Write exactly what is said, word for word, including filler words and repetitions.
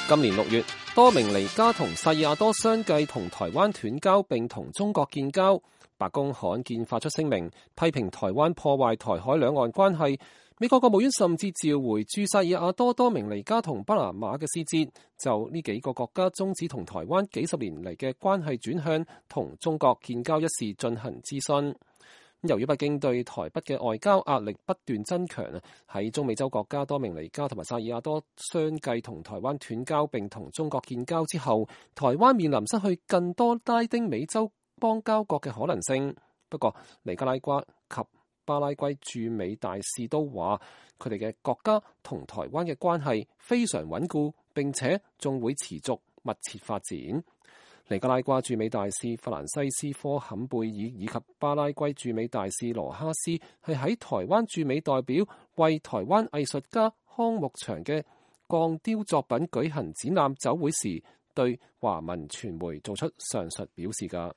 今年六月，多明尼加同薩爾瓦多相繼同台灣斷交並同中國建交。白宮罕見發出聲明，批評台灣破壞台海兩岸關係。美國國務院甚至召回駐薩爾瓦多、多明尼加同巴拿馬嘅使節，就呢幾個國家終止同台灣幾十年嚟嘅關係轉向同中國建交一事進行諮詢。由於北京對台北嘅外交壓力不斷增強啊，喺中美洲國家多明尼加同埋薩爾瓦多相繼同台灣斷交並同中國建交之後，台灣面臨失去更多拉丁美洲邦交國嘅可能性。不過尼加拉瓜及巴拉圭駐美大使都話，佢哋嘅國家同台灣嘅關係非常穩固，並且仲會持續密切發展。尼加拉瓜駐美大使法蘭西斯科坎貝爾以及巴拉圭駐美大使羅哈斯係喺台灣駐美代表為台灣藝術家康木祥嘅鋼雕作品舉行展覽酒會時，對華文傳媒做出上述表示㗎。